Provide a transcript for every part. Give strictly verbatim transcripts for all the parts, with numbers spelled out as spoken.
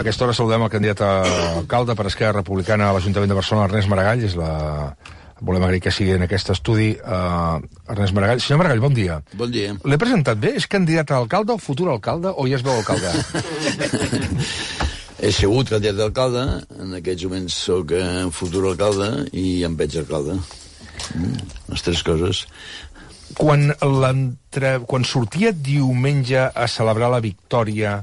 A aquesta hora saludem el candidat a alcalde per Esquerra Republicana a l'Ajuntament de Barcelona, Ernest Maragall. És la... Volem agrair que sigui en aquest estudi uh, Ernest Maragall. Senyor Maragall, bon dia. Bon dia. L'he presentat bé? És candidat a alcalde o futur alcalde o ja es veu alcalde? He sigut candidat d'alcalde, en aquests moments sóc eh, futur alcalde i em veig alcalde. Mm, les tres coses. Quan, quan sortia diumenge a celebrar la victòria,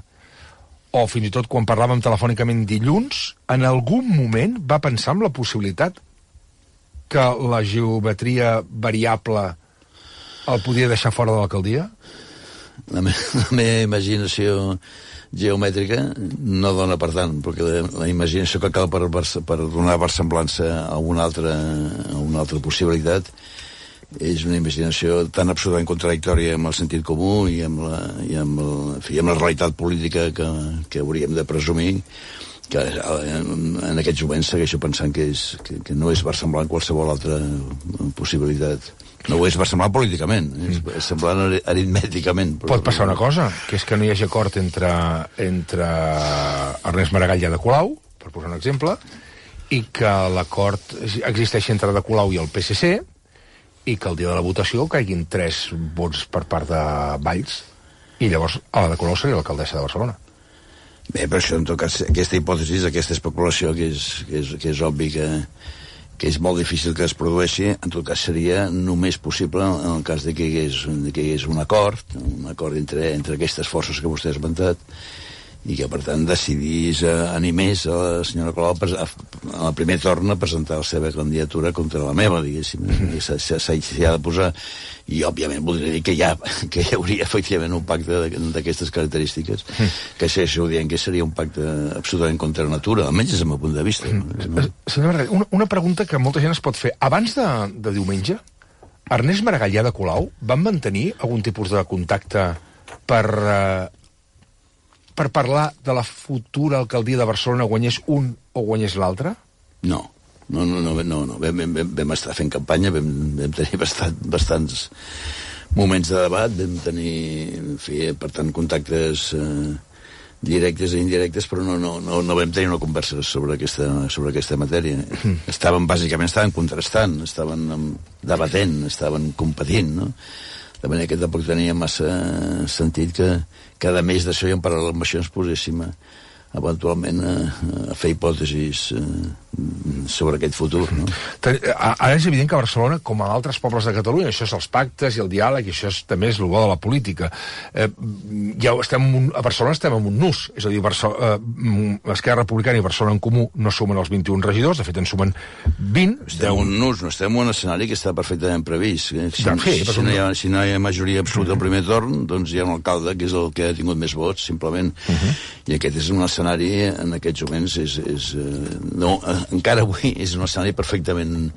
o fins i tot quan parlàvem telefònicament dilluns, en algun moment va pensar en la possibilitat que la geometria variable el podia deixar fora de l'alcaldia? La, me la meva imaginació geomètrica no dona per tant, perquè la, la imaginació que cal per, per donar versemblança a una altra, a una altra possibilitat és una imaginació tan absolutament contradictòria amb el sentit comú i amb la, i amb el, en fi, amb la realitat política que, que hauríem de presumir, que en, en aquests moments segueixo pensant que, és, que, que no és versemblant qualsevol altra possibilitat. No ho és versemblant políticament, és, és semblant aritmèticament. Però... Pot passar una cosa, que és que no hi hagi acord entre, entre Ernest Maragall i Ada Colau, per posar un exemple, i que l'acord existeixi entre Ada Colau i el P S C, i que el dia de la votació caiguin tres vots per part de Valls, i llavors Ada Colau seria l'alcaldessa de Barcelona. Bé, però això, en tot cas, aquesta hipòtesi, aquesta especulació, que és, que és, que és obvi que, que és molt difícil que es produeixi, en tot cas seria només possible en el cas de que hi hagués, de que hi hagués un acord, un acord entre, entre aquestes forces que vostè ha esmentat, i que, per tant, decidís, eh, animés a la senyora Colau a, a la primer torn a presentar la seva candidatura contra la meva, diguéssim. Mm. S'hi ha de posar. I, òbviament, voldria dir que hi, ha, que hi hauria, efectivament, un pacte d'aquestes característiques, mm. que segueixo dient que seria un pacte absolutament contra la natura, almenys des del meu punt de vista. Mm. No? Senyor Maragall, una, una pregunta que molta gent es pot fer. Abans de, de diumenge, Ernest Maragall i Ada Colau van mantenir algun tipus de contacte per... Eh, per parlar de la futura alcaldia de Barcelona, guanyés un o guanyés l'altre? No, no, no, no, no, no. Vam, vam, vam estar fent campanya, vam, vam tenir bastant, bastants moments de debat, vam tenir, en fi, per tant, contactes eh, directes i indirectes, però no, no, no, no vam tenir una conversa sobre aquesta, sobre aquesta matèria. Mm. Estaven, bàsicament, estaven contrastant, estaven debatent, estaven competint, no? De manera que tampoc tenia massa sentit que cada mes d'això i en paral·lel amb això ens poséssim a, eventualment a, a fer hipòtesis eh, sobre aquest futur, no? Ara és evident que a Barcelona, com a altres pobles de Catalunya, això és els pactes i el diàleg, i això és, també és el bo de la política. Eh, ja estem un, a Barcelona estem en un nus, és a dir, eh, Esquerra Republicana i Barcelona en Comú no sumen els vint-i-un regidors, de fet en sumen vint. Estem en un nus, no estem en un escenari que està perfectament previst. Si, de fer, si, no hi ha, si no hi ha majoria absoluta al primer torn, doncs hi ha un alcalde que és el que ha tingut més vots, simplement. Uh-huh. I aquest és un escenari, en aquests moments, és, és, no, encara avui és un escenari perfectament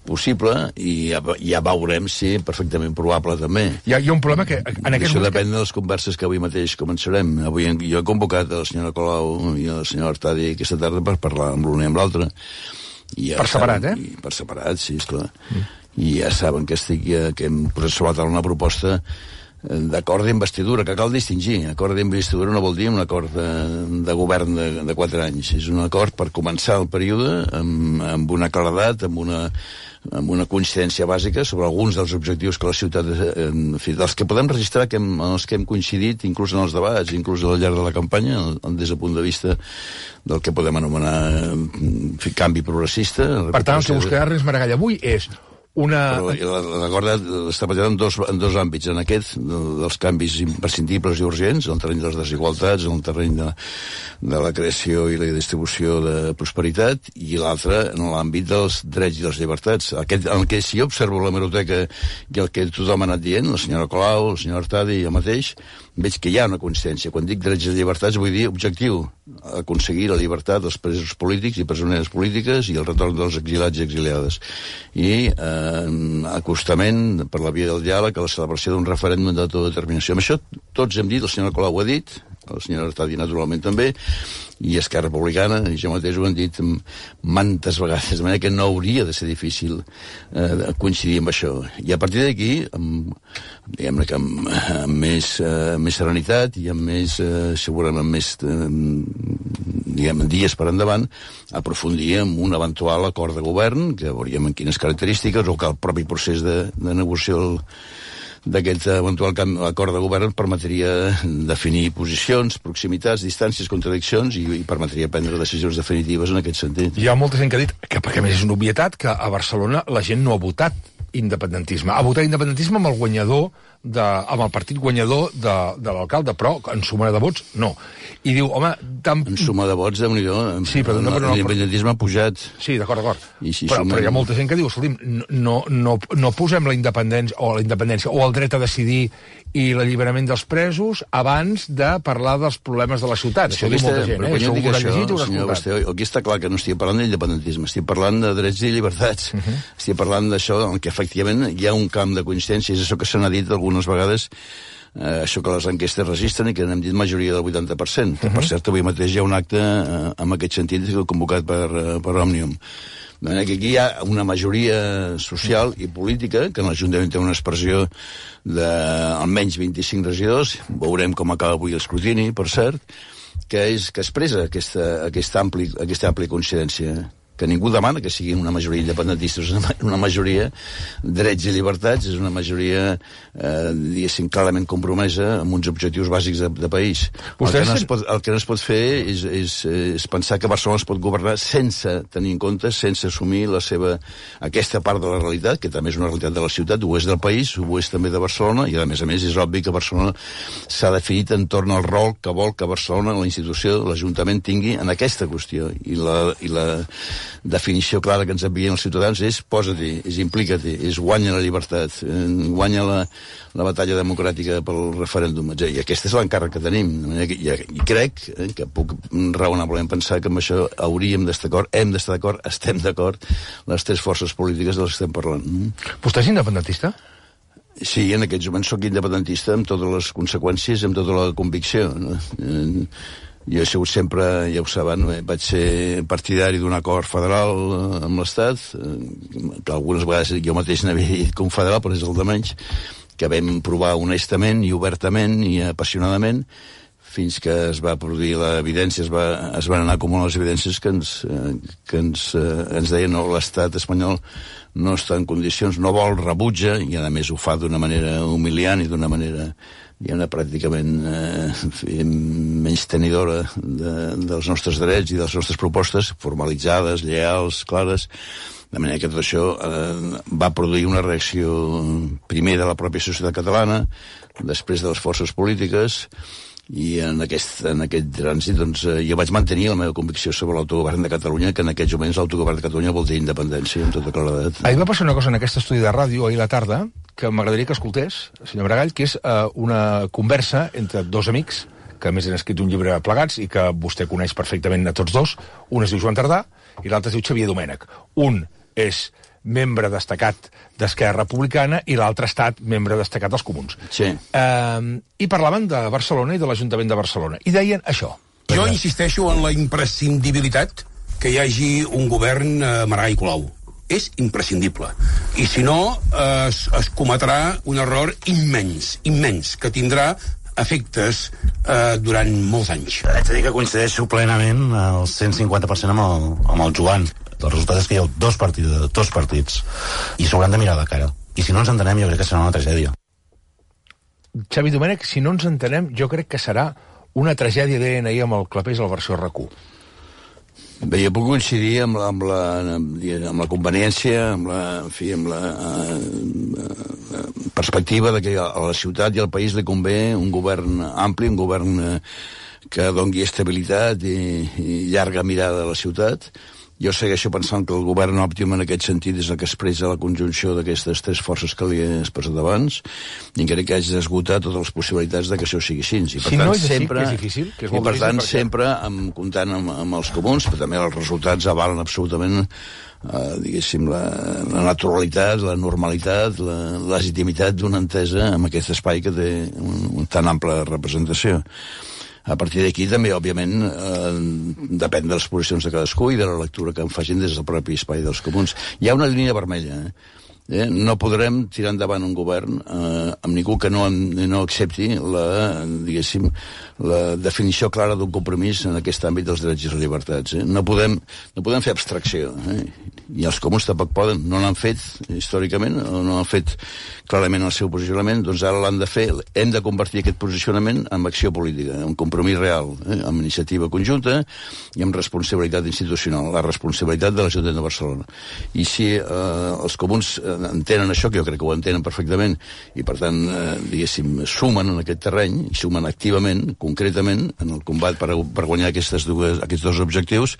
possible i ja, ja veurem si perfectament probable també. Hi ha, hi ha un problema que... En Això depèn que... de les converses que avui mateix començarem. Avui jo he convocat a la senyora Colau i a la senyora Artadi aquesta tarda per parlar amb l'una i amb l'altra. Ja per separat, saben, eh? Per separat, sí, esclar. Mm. I ja saben que, estic, que hem posat sobre la taula una proposta d'acord d'investidura, que cal distingir. Acord d'investidura no vol dir un acord de, de govern de, de quatre anys. És un acord per començar el període amb, amb una claredat, amb una, amb una coincidència bàsica sobre alguns dels objectius que la ciutat, en fi, dels que podem registrar, que hem, els que hem coincidit, inclús en els debats, inclús al llarg de la campanya, des del punt de vista del que podem anomenar en fi, canvi progressista. Per tant, el que buscarà Ernest Maragall avui és una... L'acord està basat en dos, en dos àmbits, en aquest, dels canvis imprescindibles i urgents, en el terreny de les desigualtats, en el terreny de, de la creació i la distribució de prosperitat, i l'altre en l'àmbit dels drets i les llibertats. Aquest, en què si jo observo la hemeroteca i el que tothom ha anat dient, la senyora Colau, el senyor Artadi i jo mateix, veig que hi ha una coincidència. Quan dic drets i llibertats vull dir objectiu, aconseguir la llibertat dels presos polítics i persones polítiques i el retorn dels exilats i exiliades. I eh, acostament per la via del diàleg a la celebració d'un referèndum d'autodeterminació. Amb això tots hem dit, el senyor Colau ho ha dit, el senyor Artadi naturalment també, i Esquerra Republicana, i jo mateix ho han dit mantes vegades, de manera que no hauria de ser difícil eh, coincidir amb això. I a partir d'aquí, diguem-ne que amb, amb més, eh, més serenitat i amb més, eh, segurament amb més, eh, diguem, dies per endavant, aprofundir en un eventual acord de govern, que veuríem en quines característiques, o que el propi procés de, de negociació d'aquest eventual acord de govern permetria definir posicions, proximitats, distàncies, contradiccions i, i permetria prendre decisions definitives en aquest sentit. Hi ha molta gent que ha dit, que perquè a més és una obvietat, que a Barcelona la gent no ha votat independentisme. Ha votat independentisme amb el guanyador, de, amb el partit guanyador de, de l'alcalde, però en suma de vots, no. I diu, home... Tan... En suma de vots, déu-n'hi-do, sí, però no, no, l'independentisme ha pujat. Sí, d'acord, d'acord. Si però, sumem... però hi ha molta gent que diu, escolti'm, no, no, no posem la independència, o la independència, o el dret a decidir i l'alliberament dels presos abans de parlar dels problemes de la ciutat. Sí, això diu molta gent, eh? Això, Això això, llegit, senyor Basté, aquí està clar que no estic parlant d'independentisme, estic parlant de drets i llibertats. Uh -huh. Estic parlant d'això, en què efectivament hi ha un camp de coincidència, és això que se n'ha dit algunes vegades, eh, això que les enquestes registren i que n'hem dit majoria del vuitanta per cent. Uh -huh. Per cert, avui mateix hi ha un acte eh, en aquest sentit convocat per, eh, per Òmnium. De manera que aquí hi ha una majoria social i política, que en l'Ajuntament té una expressió d'almenys vint-i-cinc regidors, veurem com acaba avui l'escrutini, per cert, que, és, que expressa aquesta, aquesta, ampli, aquesta àmplia coincidència, que ningú demana que sigui una majoria independentista, és una, una majoria drets i llibertats, és una majoria, eh, diguéssim, clarament compromesa amb uns objectius bàsics de, de país. El que, no es pot, el que no es pot fer és, és, és pensar que Barcelona es pot governar sense tenir en compte, sense assumir la seva, aquesta part de la realitat, que també és una realitat de la ciutat, ho és del país, ho és també de Barcelona, i a més a més és obvi que Barcelona s'ha definit entorn al rol que vol que Barcelona, la institució, l'Ajuntament, tingui en aquesta qüestió. I la... I la definició clara que ens envien els ciutadans és posa-t'hi, és implica-t'hi, és guanya la llibertat, guanya la, la batalla democràtica pel referèndum, i aquest és l'encàrrec que tenim, i, i crec eh, que puc raonablement pensar que amb això hauríem d'estar d'acord, hem d'estar d'acord, estem d'acord, les tres forces polítiques de les que estem parlant. Vostè és independentista? Sí, en aquests moments sóc independentista amb totes les conseqüències, amb tota la convicció, no? Eh, jo he sigut sempre, ja ho saben, vaig ser partidari d'un acord federal amb l'Estat, que algunes vegades jo mateix n'havia dit confederal, però és el de menys, que vam provar honestament i obertament i apassionadament, fins que es va produir l'evidència, es, va, es van anar acumulant les evidències que ens, que ens, ens deien no, l'estat espanyol no està en condicions, no vol, rebutja, i a més ho fa d'una manera humiliant i d'una manera diguem-ne, pràcticament eh, menys tenidora de, dels nostres drets i de les nostres propostes, formalitzades, lleials, clares, de manera que tot això eh, va produir una reacció primer de la pròpia societat catalana, després de les forces polítiques, i en aquest, en aquest trànsit doncs, eh, jo vaig mantenir la meva convicció sobre l'autogovern de Catalunya, que en aquests moments l'autogovern de Catalunya vol dir independència, amb tota claredat. Ahir va passar una cosa en aquest estudi de ràdio, ahir a la tarda, que m'agradaria que escoltés, senyor Maragall, que és eh, una conversa entre dos amics, que a més han escrit un llibre plegats i que vostè coneix perfectament a tots dos. Un es diu Joan Tardà i l'altre es diu Xavier Domènech. Un és membre destacat d'Esquerra Republicana i l'altre ha estat membre destacat dels Comuns. Sí. Eh, I parlaven de Barcelona i de l'Ajuntament de Barcelona. I deien això. Jo insisteixo en la imprescindibilitat que hi hagi un govern eh, Maragall i Colau. És imprescindible. I si no, eh, es, es cometrà un error immens, immens, que tindrà efectes eh, durant molts anys. Haig de dir que coincideixo plenament al cent cinquanta per cent amb el, amb el Joan. El resultat és que hi ha dos partits, dos partits i s'hauran de mirar de cara. I si no ens entenem, jo crec que serà una tragèdia. Xavi Domènech, si no ens entenem, jo crec que serà una tragèdia, deien ahir amb el Clapés a la versió R Q. Bé, jo puc coincidir amb la, amb la, amb la conveniència, amb la, en fi, amb la uh, perspectiva de que a la ciutat i al país li convé un govern ampli, un govern uh, que doni estabilitat i, i llarga mirada a la ciutat. Jo segueixo pensant que el govern òptim en aquest sentit és el que expressa la conjunció d'aquestes tres forces que li he expressat abans, i crec que haig d'esgotar totes les possibilitats de que això sigui així. I per si tant, no és així, sempre, que és difícil, que és i molt per difícil, tant, perquè... sempre amb, comptant amb, amb els comuns, però també els resultats avalen absolutament Uh, diguéssim, la, la naturalitat, la normalitat, la legitimitat d'una entesa amb aquest espai que té un, un tan ampla representació. A partir d'aquí també, òbviament, eh, depèn de les posicions de cadascú i de la lectura que en facin des del propi espai dels comuns. Hi ha una línia vermella, eh? Eh? No podrem tirar endavant un govern eh, amb ningú que no, no accepti la, diguéssim, la definició clara d'un compromís en aquest àmbit dels drets i les llibertats. Eh? No, podem, no podem fer abstracció. Eh? I els comuns tampoc poden. No l'han fet històricament, o no han fet clarament el seu posicionament, doncs ara l'han de fer. Hem de convertir aquest posicionament en acció política, en compromís real, eh? amb iniciativa conjunta i amb responsabilitat institucional, la responsabilitat de l'Ajuntament de Barcelona. I si eh, els comuns entenen això, que jo crec que ho entenen perfectament, i per tant, eh, diguéssim, sumen en aquest terreny, i sumen activament, concretament, en el combat per, per guanyar aquestes dues, aquests dos objectius,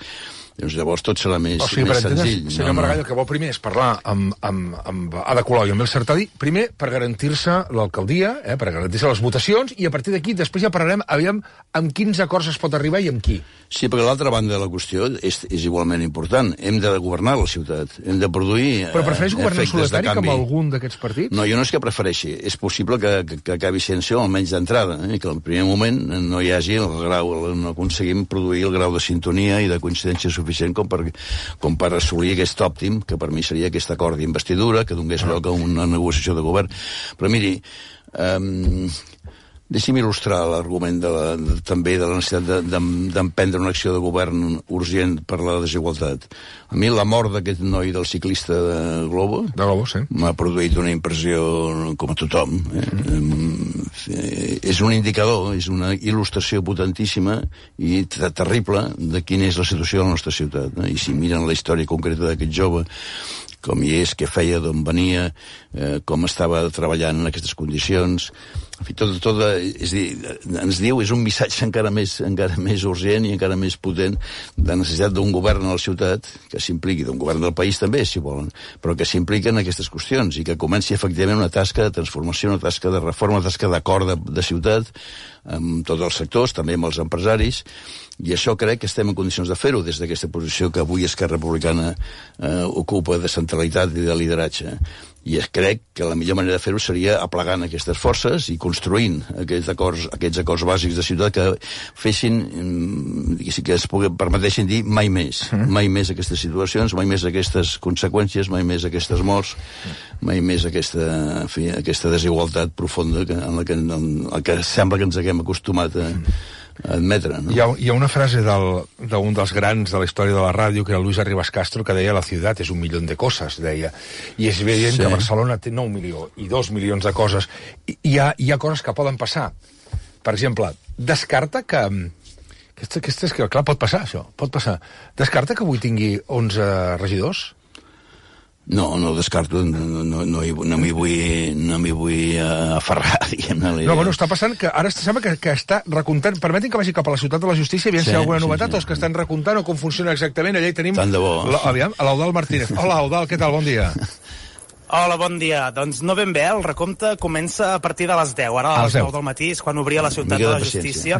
doncs llavors tot serà més, o sigui, més senzill. Senyor no, Maragall, el que vol primer és parlar amb, amb, amb Ada Colau i amb el Sartadi, primer per garantir-se l'alcaldia, eh, per garantir-se les votacions, i a partir d'aquí després ja parlarem, aviam, amb quins acords es pot arribar i amb qui. Sí, perquè l'altra banda de la qüestió és, és igualment important. Hem de governar la ciutat, hem de produir Però prefereix governar en solitari com algun d'aquests partits? No, jo no és que prefereixi. És possible que, que, que acabi sent això, almenys d'entrada, eh? que al primer moment no hi hagi el grau, no aconseguim produir el grau de sintonia i de coincidència suficient com per, com per assolir aquest òptim, que per mi seria aquest acord d'investidura, que donés lloc a una negociació de govern. Però miri, um, deixi'm il·lustrar l'argument de la, de, també de la necessitat d'emprendre de, una acció de govern urgent per la desigualtat. A mi la mort d'aquest noi del ciclista de Globo, de Globo sí. m'ha produït una impressió com a tothom. Eh? Mm. Eh, és un indicador, és una il·lustració potentíssima i terrible de quina és la situació de la nostra ciutat. Eh? I si miren la història concreta d'aquest jove, com hi és, què feia, d'on venia, eh, com estava treballant en aquestes condicions. En fi, tot, tot, és dir, ens diu, és un missatge encara més, encara més urgent i encara més potent de necessitat d'un govern a la ciutat que s'impliqui, d'un govern del país també, si volen, però que s'impliqui en aquestes qüestions i que comenci efectivament una tasca de transformació, una tasca de reforma, una tasca d'acord de, de ciutat amb tots els sectors, també amb els empresaris, i això crec que estem en condicions de fer-ho des d'aquesta posició que avui Esquerra Republicana eh, ocupa de centralitat i de lideratge. I crec que la millor manera de fer-ho seria aplegant aquestes forces i construint aquests acords, aquests acords bàsics de ciutat que fessin, que es pugui, permetessin dir mai més, mai més aquestes situacions, mai més aquestes conseqüències, mai més aquestes morts, mai més aquesta, en fi, aquesta desigualtat profunda que, en la que, en la que sembla que ens haguem acostumat a admetre, no? Hi ha, hi ha una frase d'un dels grans de la història de la ràdio, que era Luis Arribas Castro, que deia la ciutat és un milió de coses, deia. I és evident sí. que Barcelona té nou milions i dos milions de coses. I hi ha, hi ha coses que poden passar. Per exemple, descarta que... Aquesta, aquesta és que, clar, pot passar, això. Pot passar. Descarta que avui tingui onze regidors? No, no descarto, no, no, no, no m'hi vull, no m'hi vull uh, aferrar, diguem-ne. No, bueno, està passant que ara sembla que, que està recomptant, permetin que vagi cap a la ciutat de la justícia, aviam sí, si hi ha alguna sí, novetat, sí. o els que estan recomptant o com funciona exactament, allà hi tenim... Tant de bo. La, aviam, l'Eudald Martínez. Hola, Eudald, què tal? Bon dia. Hola, bon dia. Doncs no ben bé, el recompte comença a partir de les deu. Ara a les deu del matí és quan obria la ciutat de la justícia.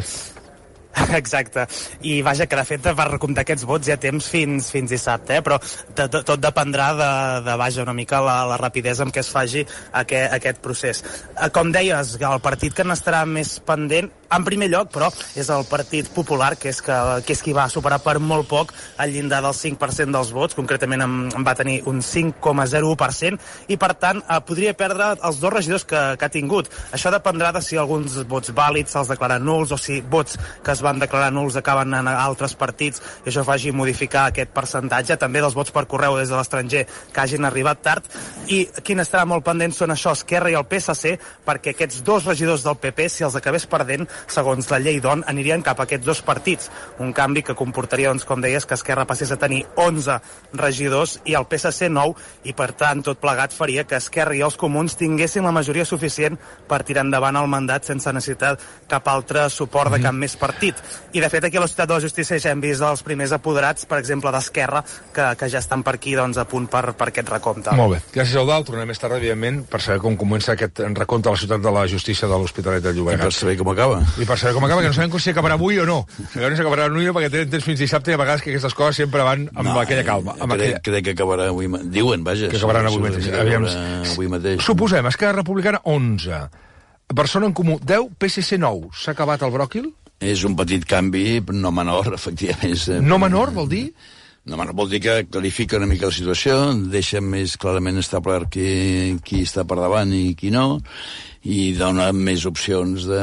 Exacte, i vaja, que de fet per recomptar aquests vots hi ha temps fins, fins dissabte, eh? Però de, de, tot dependrà de, de vaja, una mica la, la rapidesa amb què es faci aquest, aquest procés. Com deies, el partit que n'estarà més pendent, en primer lloc, però, és el Partit Popular, que és, que, que és qui va superar per molt poc el llindar del cinc per cent dels vots, concretament en, en va tenir un cinc coma zero u per cent, i per tant eh, podria perdre els dos regidors que, que ha tingut. Això dependrà de si alguns vots vàlids se'ls declaren nuls o si vots que es van declarar nuls acaben en altres partits i això faci modificar aquest percentatge, també dels vots per correu des de l'estranger que hagin arribat tard. I quin estarà molt pendent són això, Esquerra i el P S C, perquè aquests dos regidors del P P, si els acabés perdent, segons la llei d'O N, anirien cap a aquests dos partits. Un canvi que comportaria, doncs, com deies, que Esquerra passés a tenir onze regidors i el P S C nou, i per tant tot plegat faria que Esquerra i els comuns tinguessin la majoria suficient per tirar endavant el mandat sense necessitar cap altre suport de cap més partit. I de fet aquí a la ciutat de la justícia ja hem vist els primers apoderats, per exemple d'Esquerra, que, que ja estan per aquí, doncs, a punt per, per aquest recompte. Molt bé. Gràcies, Eudald. Tornem més tard, evidentment, per saber com comença aquest recompte a la ciutat de la justícia de l'Hospitalet de Llobregat. I per saber com acaba. I per saber com acaba, que no sabem si acabarà avui o no. Sabem si acabarà avui perquè tenen temps fins dissabte i a vegades que aquestes coses sempre van amb no, aquella calma. Amb crec, aquella... crec que acabarà avui... Diuen, vaja. Que acabaran avui mateix. Aviam... avui mateix. Suposem, Esquerra Republicana, onze. Barcelona en Comú, deu, P S C nou. S'ha acabat el bròquil? És un petit canvi, no menor, efectivament. No menor, vol dir? No, no vol dir que clarifica una mica la situació, deixa més clarament establert qui, qui està per davant i qui no, i dona més opcions de,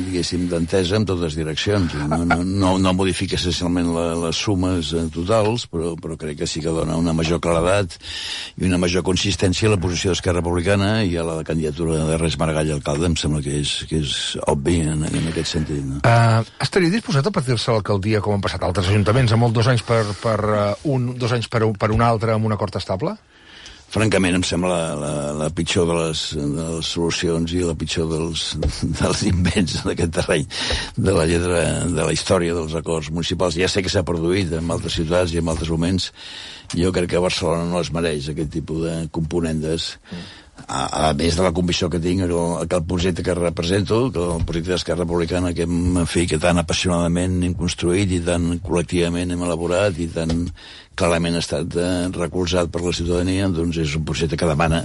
diguéssim, d'entesa en totes direccions. No, no, no, no modifica essencialment la, les sumes totals, però, però crec que sí que dona una major claredat i una major consistència a la posició d'Esquerra Republicana i a la candidatura d'Ernest Maragall a alcalde. Em sembla que és, que és obvi en, en aquest sentit. No? Uh, estaria disposat a partir-se l'alcaldia, com han passat altres ajuntaments, amb molt dos anys per, per uh, un, dos anys per, per un altre, amb un acord estable? Francament, em sembla la, la, la pitjor de les, de les solucions i la pitjor dels, dels invents d'aquest terreny de la lletra, de la història dels acords municipals. Ja sé que s'ha produït en altres ciutats i en altres moments. Jo crec que Barcelona no es mereix aquest tipus de componendes. A, a més de la convicció que tinc que el, que el projecte que represento, que el projecte d'Esquerra Republicana que, en fi, que tan apassionadament hem construït i tan col·lectivament hem elaborat i tan clarament ha estat eh, recolzat per la ciutadania, doncs és un projecte que demana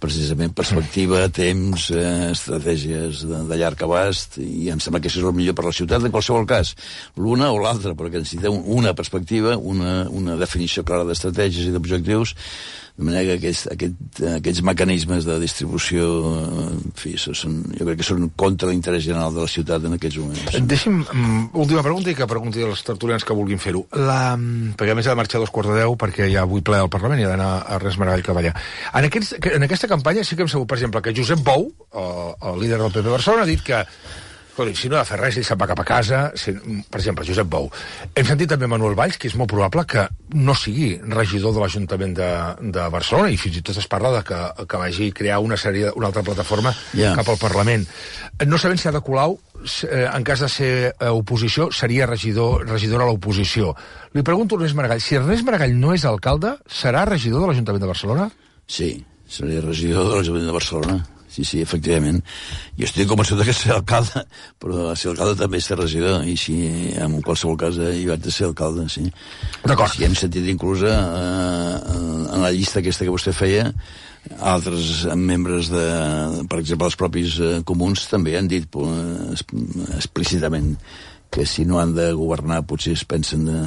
precisament perspectiva, temps, eh, estratègies de, de llarg abast, i em sembla que això és el millor per la ciutat en qualsevol cas, l'una o l'altra, perquè necessitem una perspectiva, una, una definició clara d'estratègies i d'objectius, de manera que aquests, aquest, aquests mecanismes de distribució, en fi, són, jo crec que són contra l'interès general de la ciutat en aquests moments. Deixi'm, um, última pregunta, i que pregunti als tertulians que vulguin fer-ho. La, perquè a més ha de marxar a dos quarts de deu, perquè hi ha avui ple al Parlament i ha d'anar a Ernest Maragall Caballà. En, aquests, en aquesta campanya sí que hem sabut, per exemple, que Josep Bou, el, el líder del P P Barcelona, ha dit que escolti, si no ha de fer res, ell se'n va cap a casa. Si, per exemple, Josep Bou. Hem sentit també Manuel Valls, que és molt probable que no sigui regidor de l'Ajuntament de, de Barcelona, i fins i tot es parla de que, que vagi a crear una sèrie, una altra plataforma yeah. cap al Parlament. No sabem si Ada Colau, en cas de ser oposició, seria regidor, regidora a l'oposició. Li pregunto a Ernest Maragall, si Ernest Maragall no és alcalde, serà regidor de l'Ajuntament de Barcelona? Sí, seria regidor de l'Ajuntament de Barcelona. Sí, sí, efectivament. Jo estic convençut que ser alcalde, però ser alcalde també és ser regidor, i si en qualsevol cas hi vaig de ser alcalde, sí. D'acord. Si hem sentit inclús eh, en la llista aquesta que vostè feia, altres membres de, per exemple, els propis eh, comuns també han dit eh, explícitament que si no han de governar potser es pensen de,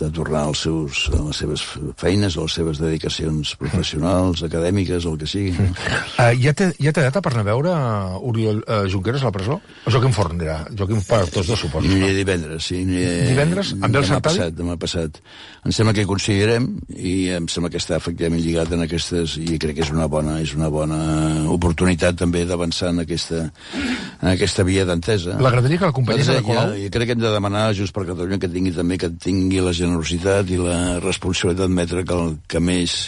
de tornar als seus, a les seves feines o a les seves dedicacions professionals, acadèmiques, o el que sigui. Uh, ja, té, ja té data per anar a veure Oriol uh, Junqueras a la presó? O Joaquim Forn dirà? Joaquim per tots dos, suposo. Aniré divendres, sí. Aniré, divendres? Amb el Sartadi? Passat, demà passat. Em sembla que hi coincidirem i em sembla que està efectivament lligat en aquestes, i crec que és una bona, és una bona oportunitat també d'avançar en aquesta, en aquesta via d'entesa. L'agradaria que l'acompanyés a la Colau? Jo crec que hem de demanar a Junts per Catalunya que tingui també que tingui la generositat i la responsabilitat d'admetre que el que més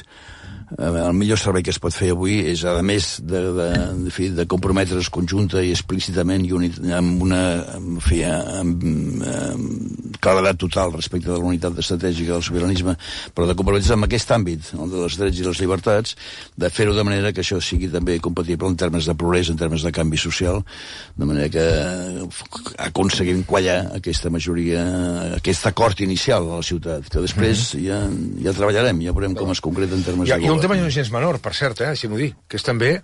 el millor servei que es pot fer avui és, a més de, de, de, fi, de comprometre's conjunta i explícitament i unit, amb una en fi, amb, amb claredat total respecte de la unitat estratègica del sobiranisme, però de comprometre's amb aquest àmbit, el de les drets i les llibertats, de fer-ho de manera que això sigui també compatible en termes de progrés, en termes de canvi social, de manera que aconseguim quallar aquesta majoria, aquest acord inicial a la ciutat, que després ja, ja treballarem, ja veurem com es concreta en termes ja, de govern. Un tema no gens menor, per cert, eh, si m'ho dic, que és també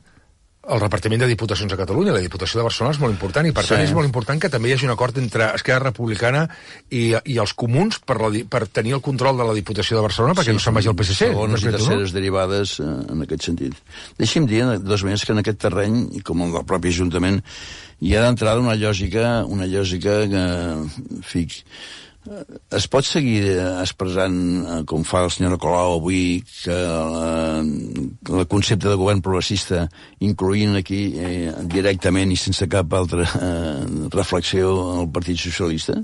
el repartiment de diputacions a Catalunya. La Diputació de Barcelona és molt important i, per sí. tant, és molt important que també hi hagi un acord entre Esquerra Republicana i, i els comuns per, la, per tenir el control de la Diputació de Barcelona, perquè sí, no se'n vagi al P S C. Segones i terceres no? derivades eh, en aquest sentit. Deixi'm dir, dos més, que en aquest terreny, i com el del propi Ajuntament, hi ha d'entrada una lògica, una lògica que, en fi, es pot seguir expressant, com fa el senyor Colau avui, que el concepte de govern progressista, incloent aquí eh, directament i sense cap altra eh, reflexió el Partit Socialista,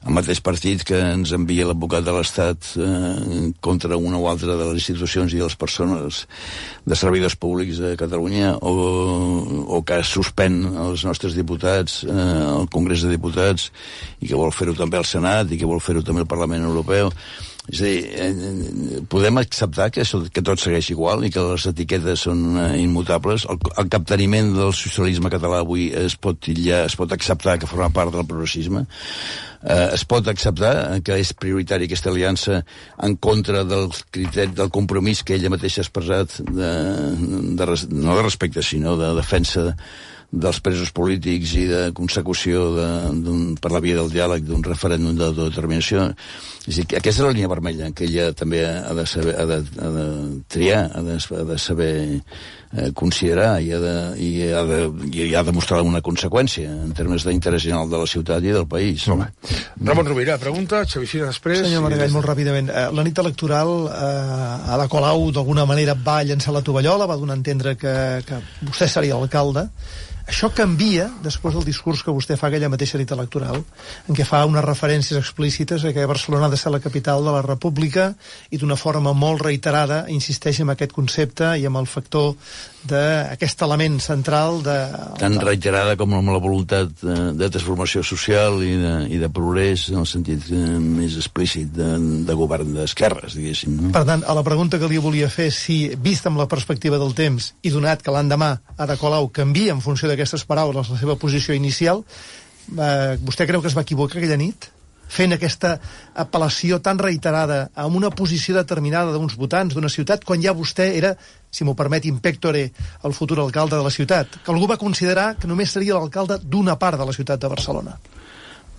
el mateix partit que ens envia l'advocat de l'Estat eh, contra una o altra de les institucions i de les persones de servidors públics de Catalunya, o, o que suspèn els nostres diputats eh, al Congrés de Diputats, i que vol fer-ho també al Senat i que vol fer-ho també al Parlament Europeu. És a dir, eh, podem acceptar que, això, que tot segueix igual i que les etiquetes són eh, immutables. El, el capteniment del socialisme català avui es pot titllar, es pot acceptar que forma part del progressisme. Eh, es pot acceptar que és prioritari aquesta aliança en contra del criteri, del compromís que ella mateixa ha expressat de, de, no de respecte, sinó de defensa dels presos polítics i de consecució de, per la via del diàleg d'un referèndum d'autodeterminació. És dir, aquesta és la línia vermella que ella també ha de saber, ha de, ha de triar, ha de, ha de saber eh, considerar i ha, de, i, ha de, i ha de mostrar una conseqüència en termes d'interès general de la ciutat i del país. Molt bé. Ramon Rovira, pregunta, Xavi Fira després. Senyor Maragall, molt ràpidament. Eh, la nit electoral, eh, Ada Colau d'alguna manera va llançar la tovallola, va donar a entendre que, que vostè seria l'alcalde. Això canvia després del discurs que vostè fa aquella mateixa nit electoral, en què fa unes referències explícites a que Barcelona ha de ser la capital de la República i d'una forma molt reiterada insisteix en aquest concepte i amb el factor d'aquest element central de... Tan reiterada com amb la voluntat de, de transformació social i de, i de progrés en el sentit més explícit de, de govern d'esquerres, diguéssim. No? Per tant, a la pregunta que li volia fer, si, vist amb la perspectiva del temps i donat que l'endemà Ada Colau canvia en funció d'aquestes paraules la seva posició inicial, eh, vostè creu que es va equivocar aquella nit? Fent aquesta apel·lació tan reiterada a una posició determinada d'uns votants d'una ciutat, quan ja vostè era, si m'ho permet, in pectore, el futur alcalde de la ciutat, que algú va considerar que només seria l'alcalde d'una part de la ciutat de Barcelona.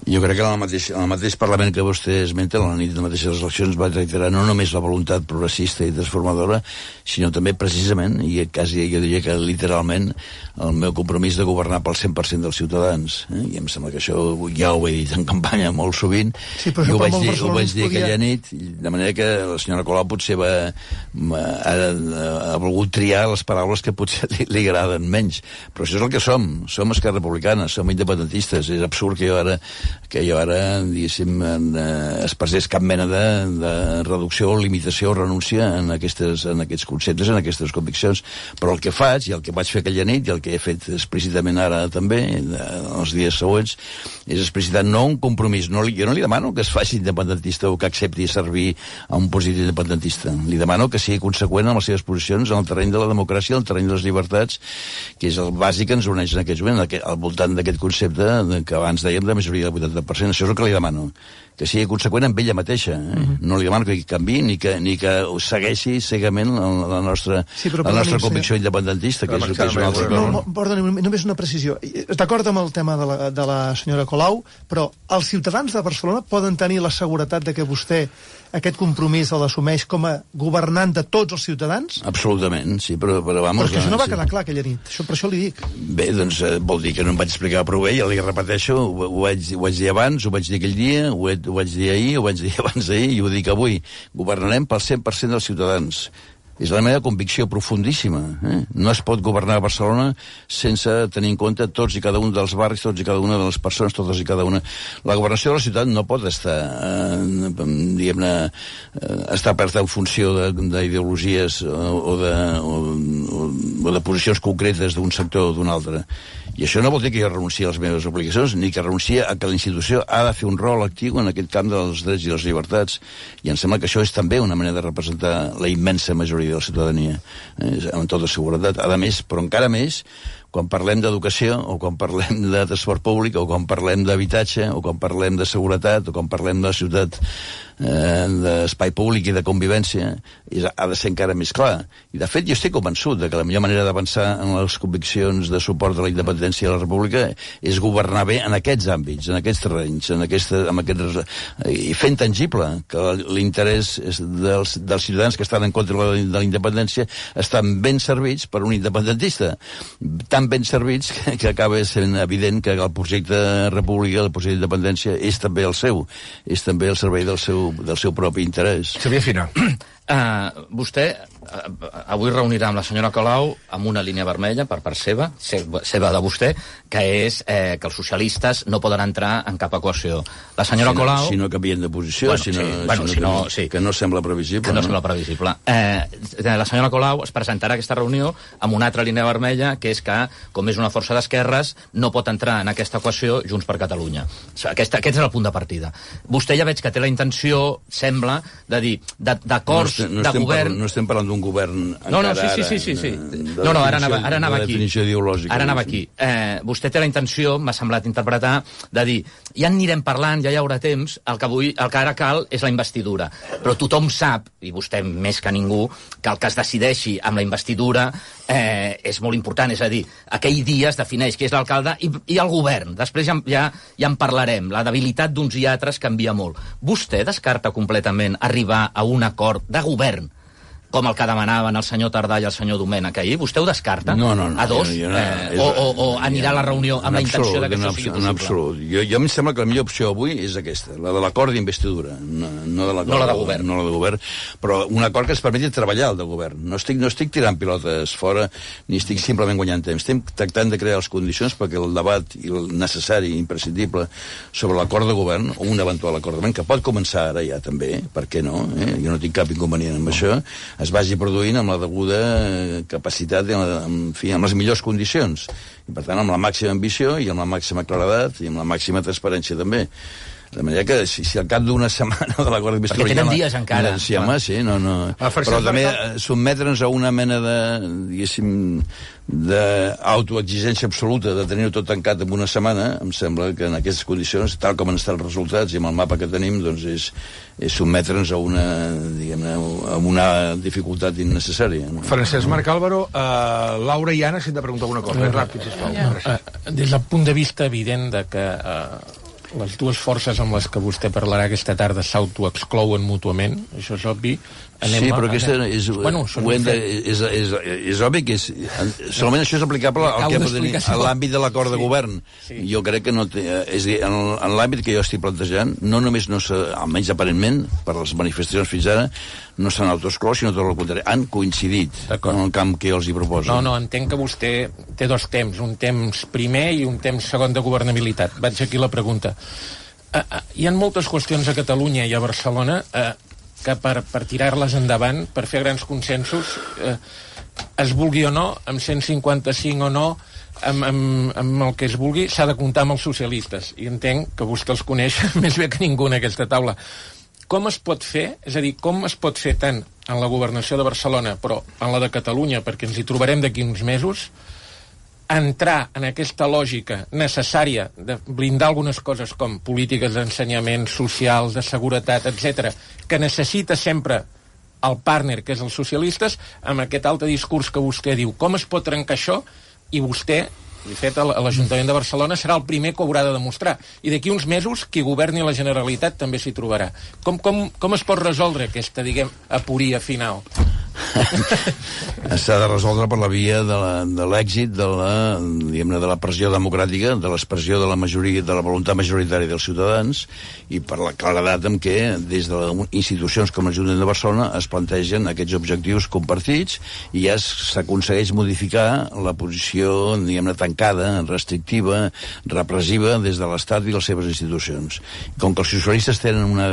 Jo crec que en el mateix, en el mateix Parlament que vostè esmenta, a la nit de les mateixes eleccions, va reiterar no només la voluntat progressista i transformadora, sinó també precisament, i quasi jo diria que literalment, el meu compromís de governar pel cent per cent dels ciutadans. Eh? I em sembla que això ja ho he dit en campanya molt sovint, sí, i ho vaig dir, ho vaig dir podia... aquella nit, de manera que la senyora Colau potser va, ha, ha volgut triar les paraules que potser li, li agraden menys. Però això és el que som. Som Esquerra Republicana, som independentistes. És absurd que jo ara que jo ara, diguéssim, eh, expressés cap mena de, de reducció o limitació o renúncia en, aquestes, en aquests conceptes, en aquestes conviccions. Però el que faig, i el que vaig fer aquella nit, i el que he fet explícitament ara també, de, els dies següents, és explicitar no un compromís. No li, jo no li demano que es faci independentista o que accepti servir a un positiu independentista. Li demano que sigui conseqüent amb les seves posicions en el terreny de la democràcia, en el terreny de les llibertats, que és el bàsic que ens uneix en aquests moments, al voltant d'aquest concepte que abans dèiem de majoria del vuitanta per cent. Això és el que li demano, que sigui conseqüent amb ella mateixa. Eh? Uh-huh. No li demano que canviï ni que, ni que segueixi cegament la, la nostra, sí, la nostra convicció senyor... independentista, que és, que és una altra cosa. No, perdoni, només una precisió. D'acord amb el tema de la, de la senyora Colau, però els ciutadans de Barcelona poden tenir la seguretat de que vostè aquest compromís el assumeix com a governant de tots els ciutadans? Absolutament, sí, però... Però, vamos, però que això no va sí. quedar clar aquella nit, això, per això li dic. Bé, doncs eh, vol dir que no em vaig explicar prou bé, ja li repeteixo, ho, ho, vaig, ho vaig dir abans, ho vaig dir aquell dia, ho, he, ho vaig dir ahir, ho vaig dir abans d'ahir, i ho dic avui. Governarem pel cent per cent dels ciutadans. És la meva convicció profundíssima. Eh? No es pot governar a Barcelona sense tenir en compte tots i cada un dels barris, tots i cada una de les persones, totes i cada una. La governació de la ciutat no pot estar, eh, diguem-ne, eh, estar aperta en funció d'ideologies o, de, o, o, o de posicions concretes d'un sector o d'un altre. I això no vol dir que jo renunciï a les meves obligacions, ni que renunciï a que la institució ha de fer un rol actiu en aquest camp dels drets i les llibertats. I em sembla que això és també una manera de representar la immensa majoria de la ciutadania, eh, amb tota seguretat. A més, però encara més, quan parlem d'educació, o quan parlem de transport públic, o quan parlem d'habitatge, o quan parlem de seguretat, o quan parlem de ciutat, eh, d'espai públic i de convivència, és, ha de ser encara més clar. I, de fet, jo estic convençut de que la millor manera d'avançar en les conviccions de suport a la independència de la República és governar bé en aquests àmbits, en aquests terrenys, en aquesta, en aquests, i fent tangible que l'interès dels, dels ciutadans que estan en contra de la independència estan ben servits per un independentista, tan ben servits que, que acaba sent evident que el projecte República, el projecte d'independència, és també el seu, és també el servei del seu, del seu propi interès. Xavier Fina. Uh, vostè uh, avui reunirà amb la senyora Colau amb una línia vermella per part seva, seva de vostè, que és eh, que els socialistes no poden entrar en cap equació. La senyora si no, Colau... Si no canvien de posició, bueno, si no, sí, bueno, si si no, no, sí. que no sembla previsible. Que no, no? sembla previsible. Eh, la senyora Colau es presentarà a aquesta reunió amb una altra línia vermella, que és que, com és una força d'esquerres, no pot entrar en aquesta equació Junts per Catalunya. Aquesta, aquest és el punt de partida. Vostè ja veig que té la intenció, sembla, de dir, d'acords estem, no de estem govern... Parlant, no estem parlant d'un govern encara no, no, sí, sí, sí, sí, sí. Ara, no, no, ara anava, ara anava aquí. Ara anava aquí. Eh, vostè té la intenció, m'ha semblat interpretar, de dir, ja en anirem parlant, ja hi haurà temps, el que, vull, el que ara cal és la investidura. Però tothom sap, i vostè més que ningú, que el que es decideixi amb la investidura eh, és molt important, és a dir, aquell dia es defineix qui és l'alcalde i, i el govern. Després ja, ja, ja en parlarem. La debilitat d'uns i altres canvia molt. Vostè descarta completament arribar a un acord de govern com el que demanaven el senyor Tardà i el senyor Domènech ahir? Vostè ho descarta? No, no, no. A dos? Jo, jo no, eh, és, o, o, o anirà a la reunió amb la intenció absolut, de que això sigui possible? En absolut. Jo, jo em sembla que la millor opció avui és aquesta, la de l'acord d'investidura, no, no, de l'acord, no la de govern. No la de govern, però un acord que ens permeti treballar el de govern. No estic, no estic tirant pilotes fora, ni estic simplement guanyant temps. Estem tractant de crear les condicions perquè el debat i el necessari i imprescindible sobre l'acord de govern, o un eventual acord de govern, que pot començar ara ja també, per què no? Eh? Jo no tinc cap inconvenient amb això, es vagi produint amb la deguda capacitat, en, la, en, fi, amb les millors condicions. I, per tant, amb la màxima ambició i amb la màxima claredat i amb la màxima transparència, també. De manera que si, si al cap d'una setmana de l'acord d'investidura... Perquè tenen dies encara. Sí, home, sí, no, no. Però també sotmetre'ns a una mena de, diguéssim, d'autoexigència absoluta de tenir-ho tot tancat en una setmana, em sembla que en aquestes condicions, tal com han estat els resultats i amb el mapa que tenim, doncs és, és sotmetre'ns a una, diguem-ne, a una dificultat innecessària. No? Francesc Marc Álvaro, uh, Laura i Anna, si hem de preguntar alguna cosa. Ben ràpid, sisplau. Ja. Des del punt de vista evident de que uh, les dues forces amb les que vostè parlarà aquesta tarda s'autoexclouen mútuament, això és obvi. Anem sí, però a, aquesta és, bueno, de, és, és, és obvi que és, solament això és aplicable al que tenir, a l'àmbit de l'acord de govern. Sí. Jo crec que no té, és dir, en, en l'àmbit que jo estic plantejant, no només no s'ha, almenys aparentment, per les manifestacions fins ara, no s'han autoexclòs, sinó tot el contrari. Han coincidit en el camp que jo els hi proposo. No, no, entenc que vostè té dos temps, un temps primer i un temps segon de governabilitat. Vaig aquí la pregunta. Uh, uh, hi ha moltes qüestions a Catalunya i a Barcelona uh, que per, per tirar-les endavant, per fer grans consensos, eh, es vulgui o no, amb cent cinquanta-cinc o no, amb, amb, amb el que es vulgui, s'ha de comptar amb els socialistes. I entenc que vostè els coneix més bé que ningú en aquesta taula. Com es pot fer, és a dir, com es pot fer tant en la governació de Barcelona, però en la de Catalunya, perquè ens hi trobarem d'aquí uns mesos, entrar en aquesta lògica necessària de blindar algunes coses com polítiques d'ensenyament, socials, de seguretat, etcètera, que necessita sempre el partner, que és els socialistes, amb aquest altre discurs que vostè diu. Com es pot trencar això? I vostè, de fet, l'Ajuntament de Barcelona serà el primer que ho haurà de demostrar. I d'aquí uns mesos, qui governi la Generalitat també s'hi trobarà. Com, com, com es pot resoldre aquesta, diguem, aporia final? S'ha de resoldre per la via de l'èxit de, de, la, de la pressió democràtica, de l'expressió de la majoria, de la voluntat majoritària dels ciutadans, i per la claredat amb què des de les institucions com l'Ajuntament de Barcelona es plantegen aquests objectius compartits i ja s'aconsegueix modificar la posició, diguem-ne, tancada, restrictiva, repressiva des de l'Estat i les seves institucions. Com que els socialistes tenen una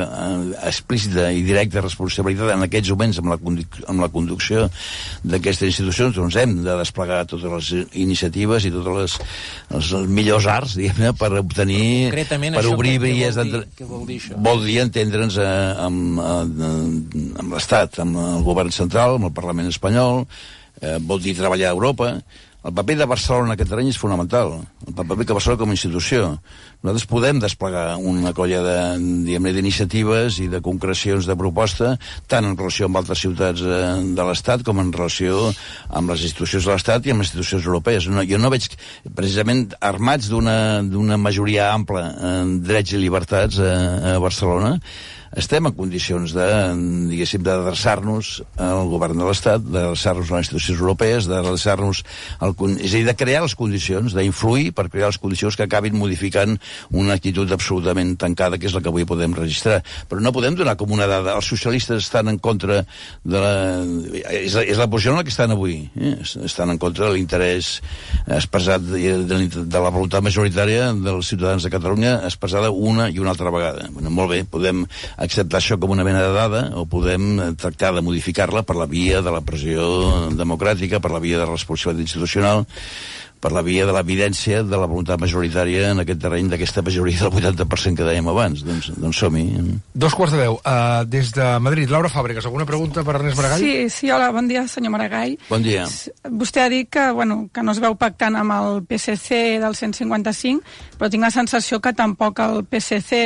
explícita i directa responsabilitat en aquests moments amb la, amb la conducció d'aquestes institucions, doncs hem de desplegar totes les iniciatives i totes les, els millors arts, diguem-ne, per obtenir, per obrir vies d'entre... Què vol dir això? Vol dir entendre'ns eh, amb, eh, amb l'Estat, amb el govern central, amb el Parlament espanyol, eh, vol dir treballar a Europa. El paper de Barcelona en aquest terreny és fonamental. El paper que Barcelona com a institució. Nosaltres podem desplegar una colla de, diguem-ne, d'iniciatives i de concrecions de proposta, tant en relació amb altres ciutats de l'Estat com en relació amb les institucions de l'Estat i amb les institucions europees. No, jo no veig, precisament, armats d'una majoria ampla en drets i llibertats a, a Barcelona, estem en condicions de, diguéssim, d'adreçar-nos al govern de l'Estat, d'adreçar-nos a les institucions europees, d'adreçar-nos al... És a dir, de crear les condicions, d'influir per crear les condicions que acabin modificant una actitud absolutament tancada, que és la que avui podem registrar. Però no podem donar com una dada. Els socialistes estan en contra de la... És la, és la posició en la que estan avui. Eh? Estan en contra de l'interès expressat de, de, de la voluntat majoritària dels ciutadans de Catalunya, expressada una i una altra vegada. Bueno, molt bé, podem acceptar això com una mena de dada o podem tractar de modificar-la per la via de la pressió democràtica, per la via de la responsabilitat institucional, per la via de l'evidència de la voluntat majoritària en aquest terreny d'aquesta majoria del vuitanta per cent que dèiem abans. Doncs, doncs som-hi. Dos quarts de deu. Uh, des de Madrid, Laura Fàbregas, alguna pregunta per Ernest Maragall? Sí, sí, hola, bon dia, senyor Maragall. Bon dia. Vostè ha dit que, bueno, que no es veu pactant amb el P S C del cent i cinquanta cinc, però tinc la sensació que tampoc el P S C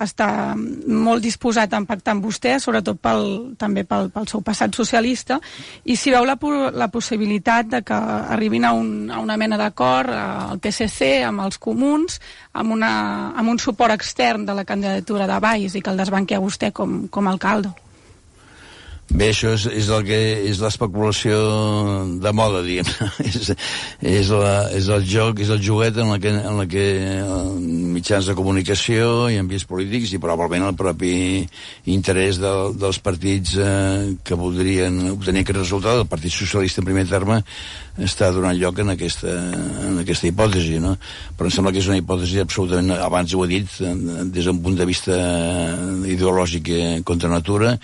està molt disposat a pactar amb vostè, sobretot pel, també pel, pel seu passat socialista, i si veu la, la possibilitat de que arribin a, un, a una mena d'acord al P S C, amb els comuns, amb, una, amb un suport extern de la candidatura de Valls i que el desbanqui a vostè com, com a alcalde. Bé, això és, és el que és l'especulació de moda, diguem. és, és, la, és el joc, és el joguet en la que, en la que mitjans de comunicació i ambits polítics i probablement el propi interès de, dels partits eh, que voldrien obtenir aquest resultat, el Partit Socialista en primer terme, està donant lloc en aquesta, en aquesta hipòtesi, no? Però em sembla que és una hipòtesi absolutament, abans ho he dit, des d'un punt de vista ideològic contra natura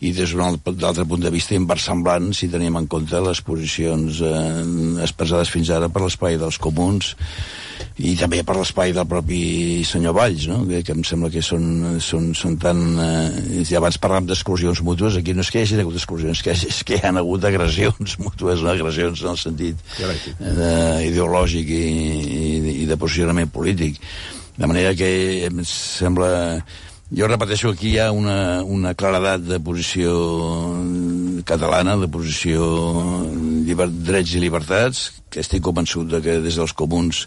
i des d'un d'altre punt de vista inversemblant si tenim en compte les posicions eh, expressades fins ara per l'espai dels comuns i també per l'espai del propi senyor Valls, no? que, que em sembla que són, són, són tan... Eh, ja abans parlàvem d'exclusions mútues, aquí no és que hi hagi hagut exclusions, que és que hi ha hagut agressions mútues, no? Agressions en el sentit eh, ideològic i, i, i de posicionament polític. De manera que em sembla... Jo repeteixo, aquí hi ha una, una claredat de posició catalana, de posició lliber, drets i llibertats, que estic convençut de que des dels comuns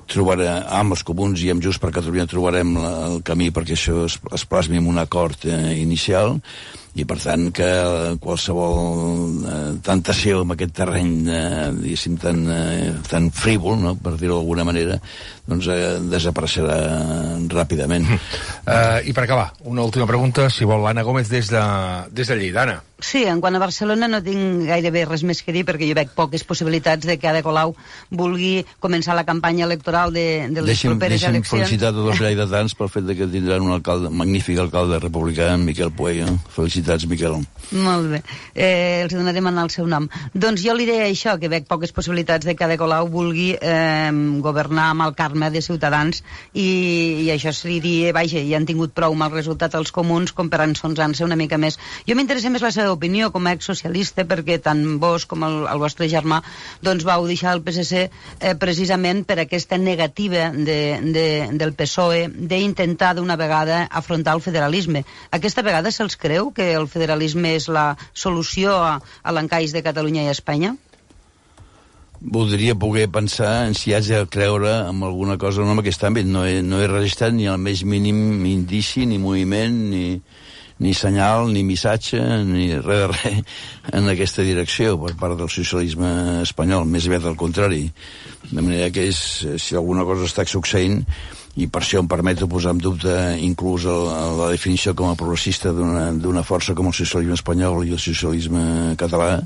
trobarà, amb els comuns i amb Junts per Catalunya trobarem la, el camí perquè això es, es plasmi en un acord eh, inicial, i per tant que qualsevol eh, tentació en aquest terreny eh, diguéssim tan, eh, tan frívol, no? Per dir-ho d'alguna manera, doncs eh, desapareixerà ràpidament. Uh, I per acabar, una última pregunta, si vol, l'Anna Gómez des de, des de Lleida. Anna. Sí, en quant a Barcelona no tinc gairebé res més que dir perquè jo veig poques possibilitats de que Ada Colau vulgui començar la campanya electoral de, de les deixi'm, properes deixi'm eleccions. Deixi'm felicitar tots els lleidatans pel fet de que tindran un alcalde, magnífic alcalde republicà, Miquel Puello. Felicitats, Miquel. Molt bé. Eh, els donarem en el seu nom. Doncs jo li deia això, que veig poques possibilitats de que Ada Colau vulgui eh, governar amb el Carme de Ciutadans i, i això se li dir, vaja, ja han tingut prou mal resultat els comuns com per ensonsar-se una mica més. Jo m'interessa més la seva opinió com a exsocialista perquè tant vos com el, el vostre germà doncs vau deixar el P S C eh, precisament per aquesta negativa de, de, del P S O E d'intentar d'una vegada afrontar el federalisme. Aquesta vegada se'ls creu que el federalisme és la solució a, a l'encaix de Catalunya i Espanya? Voldria poder pensar en si haig de creure en alguna cosa o no en aquest àmbit. No he, no he registrat ni el més mínim indici, ni moviment, ni... ni senyal, ni missatge, ni res de res en aquesta direcció per part del socialisme espanyol, més aviat al contrari. De manera que és, si alguna cosa està succeint, i per això em permeto posar en dubte inclús el, la definició com a progressista d'una força com el socialisme espanyol i el socialisme català,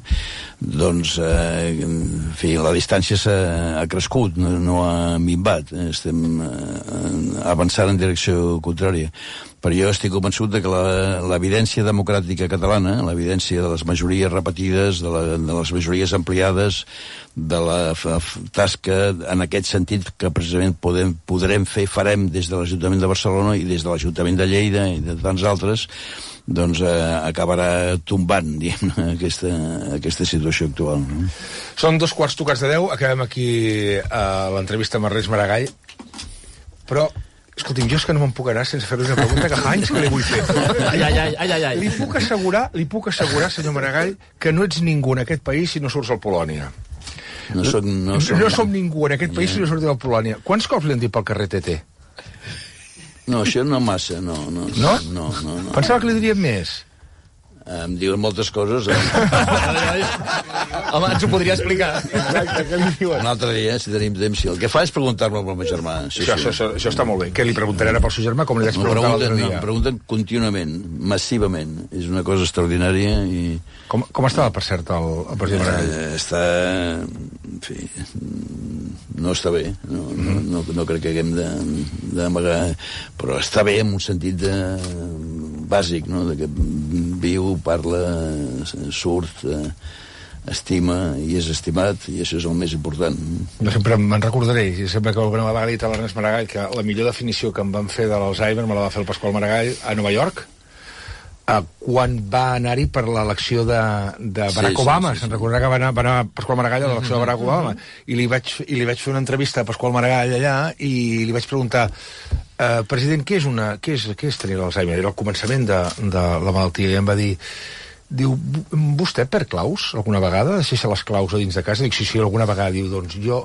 doncs, eh, en fi, la distància s'ha ha crescut, no, no ha minvat, estem eh, avançant en direcció contrària. Però jo estic convençut de que l'evidència democràtica catalana, l'evidència de les majories repetides, de, la, de les majories ampliades, de la tasca en aquest sentit que precisament podem, podrem fer, farem des de l'Ajuntament de Barcelona i des de l'Ajuntament de Lleida i de tants altres, doncs eh, acabarà tombant, diguem, aquesta, aquesta situació actual. No? Són dos quarts tocats de deu, acabem aquí a l'entrevista amb Ernest Maragall, però escolti'm, jo és que no me'n puc anar sense fer-li una pregunta que fa anys que li vull fer. Ai, ai, ai, ai, ai. Li puc assegurar, li puc assegurar, senyor Maragall, que no ets ningú en aquest país si no surts al Polònia. No som, no som, no som ningú en aquest país yeah. si no surts al Polònia. Quants cops li han dit pel carrer T T? No, això no massa, no. No? No? No, no, no. Pensava que li dirien més. Em diuen moltes coses. Eh? Home, ens ho podria explicar. Exacte, què li diuen? Un altre dia, si tenim temps. Si el que fa és preguntar-me pel meu germà. Sí, això, sí. Això, això està molt bé. Què li preguntaré ara pel seu germà? Com li vaig preguntar l'altre dia? Em pregunten contínuament, massivament. És una cosa extraordinària i... Com, com estava, per cert, el, el president Maragall? Eh, està... En fi... No està bé. No, no, no, no crec que haguem d'amagar... Però està bé en un sentit de... bàsic, no? De que viu, parla, surt... Eh, estima i és estimat, i això és el més important. Jo sempre me'n recordaré, i sempre que alguna vegada he dit a l'Ernest Maragall que la millor definició que em van fer de l'Alzheimer me la va fer el Pasqual Maragall a Nova York, eh, quan va anar-hi per l'elecció de, de Barack sí, Obama. Sí, sí, sí. Se'n recordarà que va anar, va anar Pasqual Maragall a l'elecció de Barack Obama, i li vaig, i li vaig fer una entrevista a Pasqual Maragall allà i li vaig preguntar, eh, president, què és, una, què és, què és tenir l'Alzheimer? Era el començament de, de la malaltia, i em va dir, diu, vostè perd claus alguna vegada? Deixa les claus a dins de casa? Dic, sí, sí, alguna vegada. Diu, doncs jo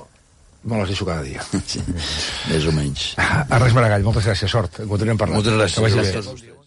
me les deixo cada dia. Sí, més o menys. Ernest Maragall, moltes gràcies, sort. En continuem parlant. Moltes gràcies. Que vagi bé.